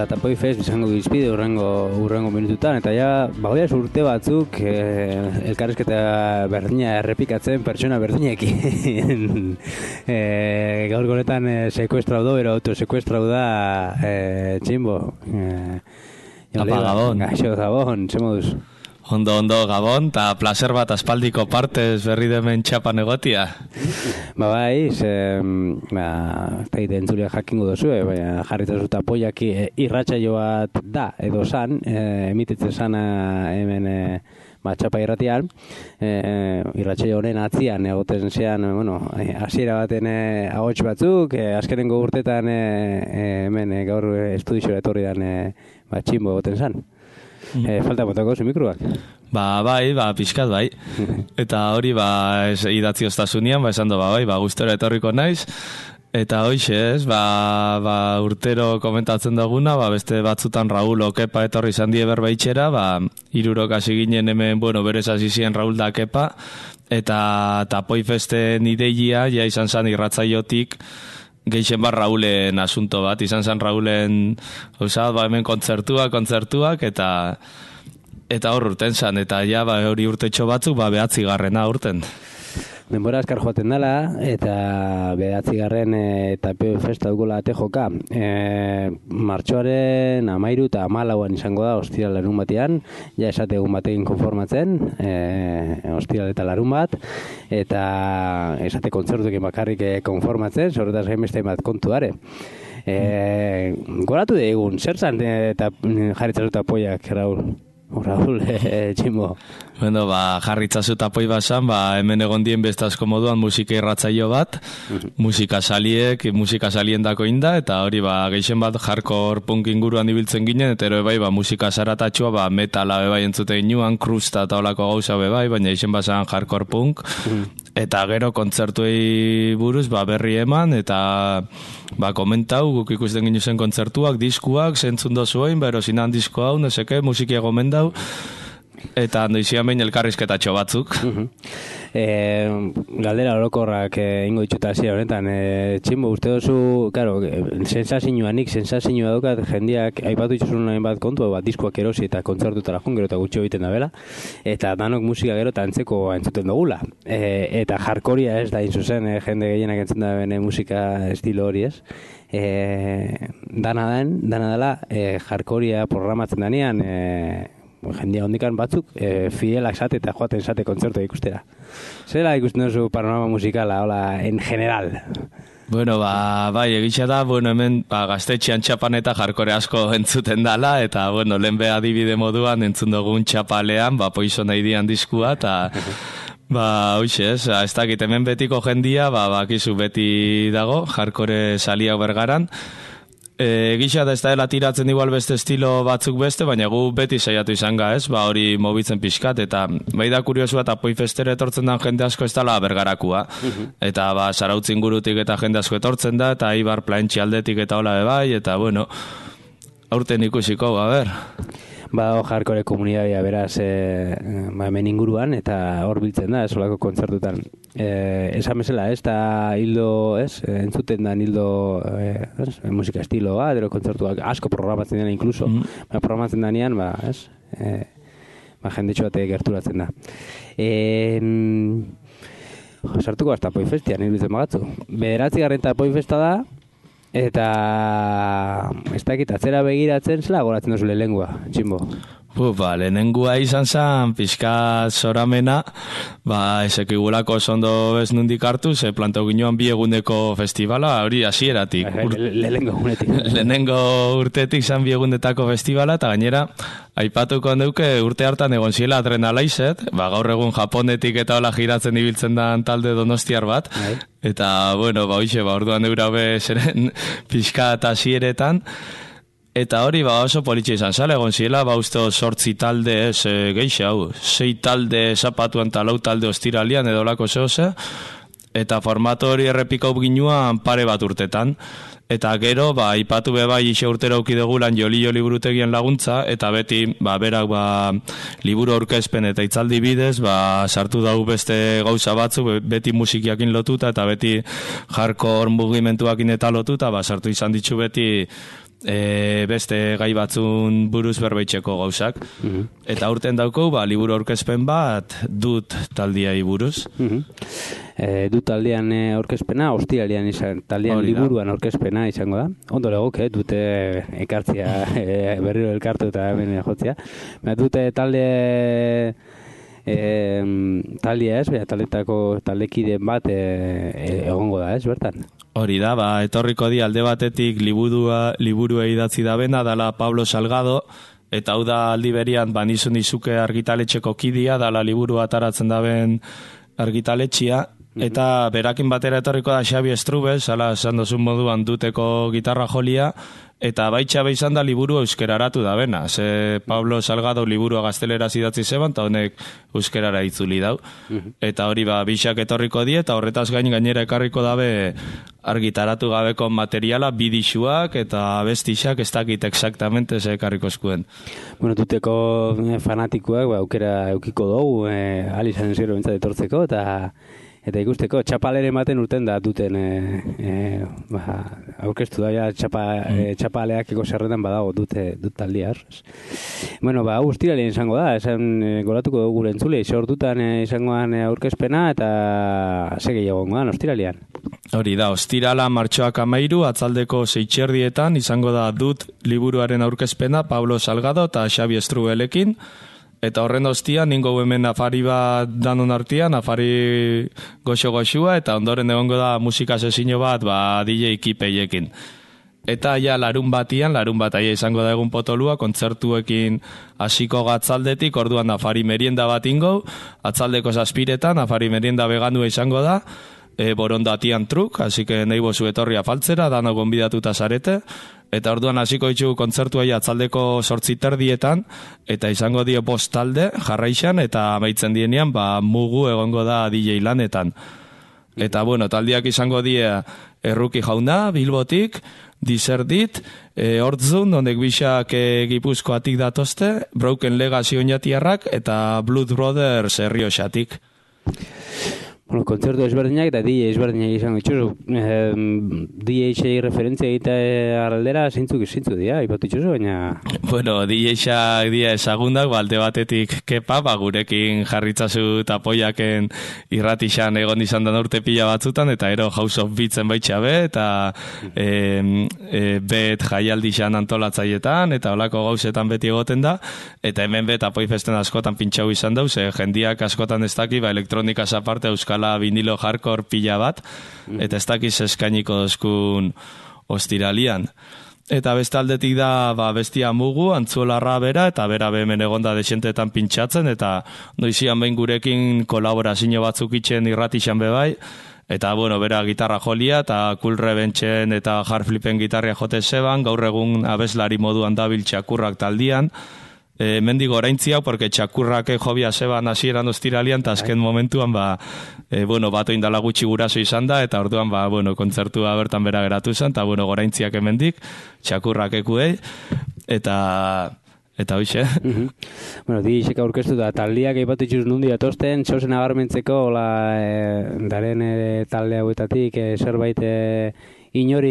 Tapoi Fest izango dizpide urrengo minututan, eta ja, bagoiaz urte batzuk elkarrizketa berdina errepikatzen pertsona berdinekin. Gaur gonetan sekuestrau do, ero autosekuestrau da Tximbo. Apa, Gabon. Gaixo, Gabon, ze moduz? Ondo, Gabon, eta placer bat aspaldiko partez berri demen txapan egotia. Bai, entzulia jakingo dozue, baina jarritzazu tapoiak irratsaio bat da, edo san, emititzen sana hemen txapa irratian, irratsaio honen atzian egoten zean, hasiera baten ahots batzuk, azkenengo urtetan hemen gaur estudiziora etorri dan Tximbo egoten zan. Falta botako zu mikroak. Bai, pixkat bai. Eta hori idatzi oztasunian, esan do bai, gustora etorriko naiz. Eta hoxe ez, urtero komentatzen duguna, beste batzutan Raúl Okepa etorri izan die berbaitxera, 3 hasi ginen hemen, berez hasi ziren Raúl da Kepa, eta Tapoi Festen ideiia, ja izan zan irratzaiotik, geixen Raúlen asunto bat, izan zen Raúlen hemen kontzertuak, eta hor urten zen, eta ja hori urtetxo batzuk 9. urten. Denbora askar joaten dela, eta 9. Tapoi Festa dukola ate joka. Martxoaren 13 eta 14 izango da ostiral larun batean, ja esate egun batekin konformatzen, ostiral eta larun bat, eta esate kontzertuekin bakarrik konformatzen, zorretaz gainbeste bat kontuare. Goratu egun, zer zan eta jarritzazu tapoiak, Raúl, Tximbo. Jarritzazu tapoi basan, hemen egon dien bestazko moduan musika irratzaio bat, musika salien dako inda, eta hori geixen bat hardcore punk inguruan ibiltzen ginen, eta ero musika zaratatxua, metala entzute ginuan, krusta eta olako gauza baina geixen basan hardcore punk, eta gero kontzertuei buruz berri eman, eta komentau, guk ikusten ginu zen kontzertuak, diskuak, zentzun dozuen, erosinan disko hau, neseke, musikia gomendau, eta handoizia behin elkarrizketatxo batzuk. Galdera orokorrak ingo ditxuta hasiera honetan. Tximbo, uste dozu, sensazioa daukat, jendeak aipatu dituzun hainbat kontu, diskoak erosi eta kontzertutara joan, gero eta gutxi egiten da bela, eta danok musika gero eta antzeko entzuten dugula. Eta jarkoria ez da inzuzen, jende gehienak entzuten da bene musika estilo hori ez. Dana dela, jarkoria programatzen danean, jendia hondikan batzuk fidelak zate eta joaten zate kontzertu ikustera. Zela ikusten duzu panorama musikala, hola, en general? Egitxa da, hemen gaztetxean txapan eta jarkore asko entzuten dala, eta, lehen adibide moduan entzun dugun txapalean, Poison Ideen diskua, eta hoxe ez, ez dakit hemen betiko jendia, bakizu beti dago, jarkore saliak bergaran. Egitxa da ez da dela tiratzen igual beste estilo batzuk beste, baina gu beti saiatu izan ez, hori mobitzen pixkat, eta da kuriosua eta Tapoi Festera etortzen den jende asko ez dela bergarakua. Eta Zarautz ingurutik eta jende asko etortzen da, eta Ibar Plaentxi aldetik eta hola bebai, eta aurten ikusiko, jarkore komunitatea beraz hemen inguruan, eta hor biltzen da, esolako kontzertutan. Esan bezala, ez da hildo, entzuten da hildo musika estiloa, edo kontzertuak asko programatzen dena inkluso, programatzen danean, jendetxo bat gerturatzen da. Sartuko az Tapoi Festian, hilbitzen bagatzu. 9. Tapoi Festa da, eta ez dakit atzera begiratzen zela goratzen duzu lehengoa, Tximbo? Lehenengua izan zen, pixka zoramena, esekigulako zondo ez nundik hartu, ze plantau ginoan 2 eguneko festivala, hori hasieratik. Lehenengo urtetik zan 2 egundetako festivala, eta gainera, aipatuko handeuke urte hartan egon ziela Adrenalized, gaur egun Japonetik eta hola giratzen ibiltzen da talde donostiar bat, eta, orduan eura zeren pixka eta hasieretan, eta hori oso politxe izan zala, egon ziela, uste 8 talde ez geixe hau, 6 talde zapatuan eta 4 talde ostiralian edo lako zehose, eta formato hori errepikau ginuan pare bat urtetan. Eta gero, ipatu ixe urtera ukidegulan joli burutegien laguntza, eta beti, berak liburu aurkezpen eta itzaldi bidez, sartu dau beste gauza batzuk, beti musikiakin lotuta, eta beti hardcore mugimentuakin eta lotuta, sartu izan ditu beti beste gai batzun buruz berbaitxeko gauzak. Eta urten dauko, liburu aurkezpen bat dut taldiai buruz. Dut taldean aurkezpena, ostiralean taldean liburuan aurkezpena izango da. Ondo legoke, dute ekartzia berriro elkartu eta hemen jotzia. Dute taldea ez, taldekideen bat egongo da ez, bertan? Hori da, etorriko di alde batetik liburua idatzi da bena, dala Pablo Salgado, eta hau da aldi berian, nizun izuke argitaletxeko kidia, dala liburu ataratzen daben argitaletxia, eta berakin batera etorriko da Xabi Estrubes, ala esan dozun moduan duteko gitarra jolia, eta baitxa izan da liburu euskeraratu da bena. Ze Pablo Salgado liburua gazteleraz idatzi zeban, eta honek euskerara itzuli dau. Eta hori bixak etorriko die, eta horretaz gainera ekarriko dabe argitaratu gabeko materiala, bidixuak eta bestixak ez dakit exactamente ze ekarriko eskuen. Bueno, duteko fanatikoak aukera eukiko dugu, alizan zero bintzat etortzeko, eta ikusteko, txapalere ematen urten da duten aurkeztu da, txapaleak eko zerretan badago dut taldia. Bueno, guztiralien izango da, esan goratuko dugu gure entzule, sortutan izangoan aurkezpena eta segi egongoan, ostiralian. Hori da, ostirala martxoak 13, atzaldeko 6 izango da dut liburuaren aurkezpena Pablo Salgado eta Xabi Estrubelekin. Eta horren ostia, ningo hemen afari bat danon artian, afari goxo-goxua, eta ondoren egongo da musika sesio bat, DJ Kipeiekin. Eta ja larun bat aia izango da egun potolua, kontzertuekin hasiko gatzaldetik, orduan afari merienda bat ingo, atzaldeko 7 afari merienda veganua izango da, borondatian truk, así que nahi bozu etorri afaltzera, dano gonbidatuta zarete, eta orduan hasiko ditzu kontzertuai atzaldeko 8:30, eta izango dio 5 talde jarraixan, eta amaitzen dienean, mugu egongo da DJ lanetan. Eta bueno, taldiak izango die Erruki Jauna, Bilbotik, Dizerdit, Hortzun, honek bixak Gipuzkoatik datozte, Broken Legacy oinatiarrak, eta Blood Brothers Errioxatik. Bueno, kontzertu ezberdinak eta DJ ezberdinak izango itxuzu. DJ referentzia egite aldera zeintzuk dira, ipatu itxuzu, baina... Bueno, DJ-ak dia ezagundak, alde batetik kepa, gurekin jarritzazu eta poiaken irratixan egon izan da urte pila batzutan, eta ero House of Beatsen baitxabe, eta bet jaialdixan antolatzaietan, eta olako gauzetan beti egoten da, eta hemen bet apoi festen askotan pintxau izan dauz, jendiak askotan ez daki, elektronikaz aparte euskala vinilo hardcore pila bat, eta ez dakiz eskainiko dozkun ostiralian. Eta beste aldetik da bestia mugu, antzuolarra bera, eta bera hemen egonda desentetan pintxatzen, eta noizian behin gurekin kolaborazio batzuk itxen irratixan bebai, eta bueno, bera gitarra jolia, eta Cool Reventzen eta Hardflipen gitarria jote zeban, gaur egun abeslari moduan dabil txakurrak taldian, mendigo oraintziak, porque txakurrak jobia zeban hasieran ostiralian, eta azken momentuan, bato indala gutxi guraso izan da, eta orduan, kontzertua bertan bera geratu zen, eta goraintziak emendik, txakurrak ekuei, eta hoxe. Bueno, DJ-ek aurkeztu da, taldiak eipatu itxuz nundi atosten, txosen agarmentzeko, daren talde hauetatik, zerbait inor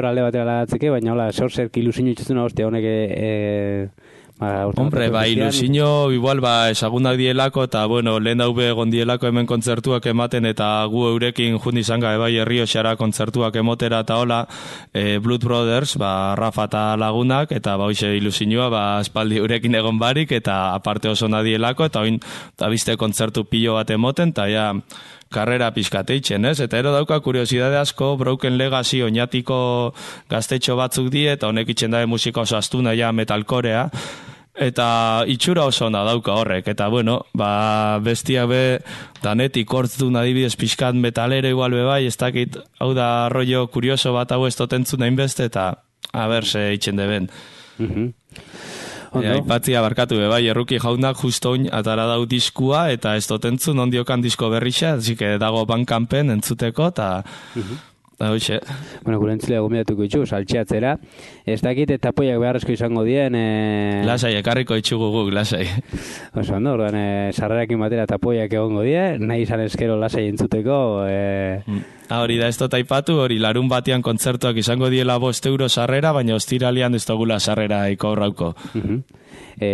alde batera lagatzeke, baina zer ilusio itxuzuna hostia honek... Hombre, ilusio, igual, esagunak dielako, eta, lehen daube egon dielako hemen kontzertuak ematen, eta gu eurekin jundi izan gabe Errioxara kontzertuak emotera eta hola, Blood Brothers, Rafa eta lagunak, eta hoxe ilusioa, espaldi eurekin egon barik, eta aparte oso nadielako, eta oin, eta bizte kontzertu pilo bat emoten, eta ja, karrera pizkateitzen, ez? Eta ero dauka kuriosidade asko, Broken Legacy oinatiko gaztetxo batzuk die, eta honek itxen dabe musika oso astuna ja metalkorea, eta itxura oso ona dauka horrek, eta bestiak be, danetik hortzun adibidez pixkat metalero igual bai, ez dakit, hau da rollo kurioso bat hau ez totentzun hainbeste, eta a ber, ze itxen deben. Aipatzia barkatu bai, Erruki Jaunak justo oin atara dau diskua, eta ez dotentzun ondiokan disko berrixa, zik dago Bandcampen entzuteko, eta Hoxe. Bueno, gure entzulea gomendatuko itxu, saltxeatzera. Ez dakit tapoiak beharrezko izango dien... Lasai, ekarriko itxugu guk, lasai. Oso, ondo, orduan, sarrerakin batera tapoiak egongo die, nahi izan eskero lasai entzuteko... Hori da, ez dut aipatu, hori larun batean kontzertuak izango diela €5 sarrera, baina ostiralian ez dugula sarrera ikaurrauko.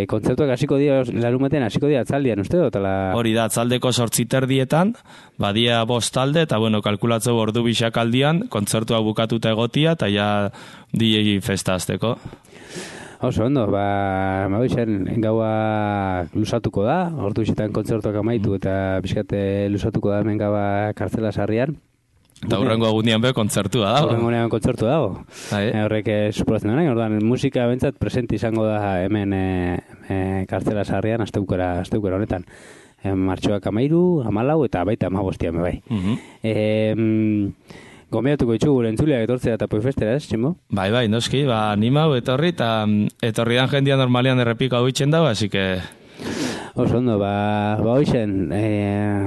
Kontzertuak hasiko dira, larun batean hasiko dira atzaldian, uste dut? Hori da, atzaldeko 8:30, badia 5 talde, eta bueno, kalkulatzeu ordu bisak aldian, kontzertua bukatuta egotia, eta ja DJ festa azteko. Oso, ondo, gaua lusatuko da, ordu bisetan kontzertuak amaitu, eta bizkate lusatuko da hemen gaua kartzela sarrian. Eta hurrengo egunean be kontzertua dago. Hurrengo egunean kontzertua dago. Horrek suporatzen dena, orduan musika bentsat presente izango da hemen kartzela sarrian asteukera honetan. Martxoak 13, 14 eta baita 15 bai. Gomendatuko ditugu gure entzuleak etortzea Tapoi Festera, ez, Tximo? Bai, noski, animau etorri, eta etorri dan jendia normalian errepika huitzen dago, así que... Oso ondo, hoixen,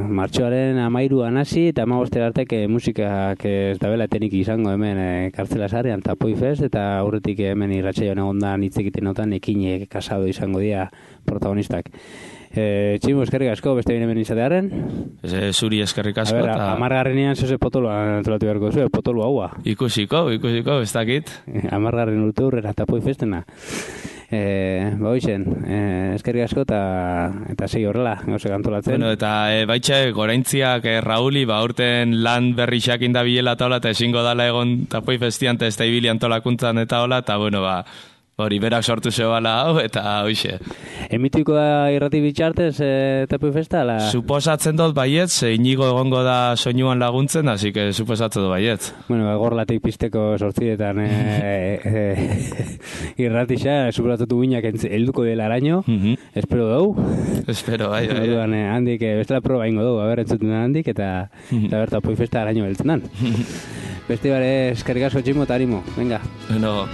martxoaren 13 hasi eta 15 artek musikak ez dabela etenik izango hemen kartzela sarrean Tapoi Fest, eta aurretik hemen irratsaioan egondan hitz egiten notan ekinek kasado izango dira protagonistak. Tximo, eskerrik asko, beste bine hemen izatearen? Zuri eskerrik asko. A ber, 10. zoze potoloa antolatu beharko zuen, potolo haua. Ikusiko, ez dakit. 10. urte hurrera Tapoi Festena. Hoixen, eskerrik asko eta segi horrela, gauzek antolatzen. Bueno, eta baitxe, goraintziak Rauli, urten lan berrixak indabilela eta hola, eta ezingo dala egon Tapoi Festian, eta ez da ibili antolakuntzan eta hola, eta bueno, hori berak sortu zebala hau, eta hoixe. Emituiko da irrati bitxartez Tapoi Festa? Suposatzen dut baiet, Inigo egongo da soinuan laguntzen, así que suposatzen dut baiet. Bueno, gorlatik pizteko sortzietan irratixa, suposatzen guinak helduko dela araño, espero dugu. Espero, bai. Handik, bestela proba ingo dugu, entzuten den handik, eta Tapoi Festa araño heltzen dan. Beste bare, eskerrik asko Tximo eta animo, venga. Bueno.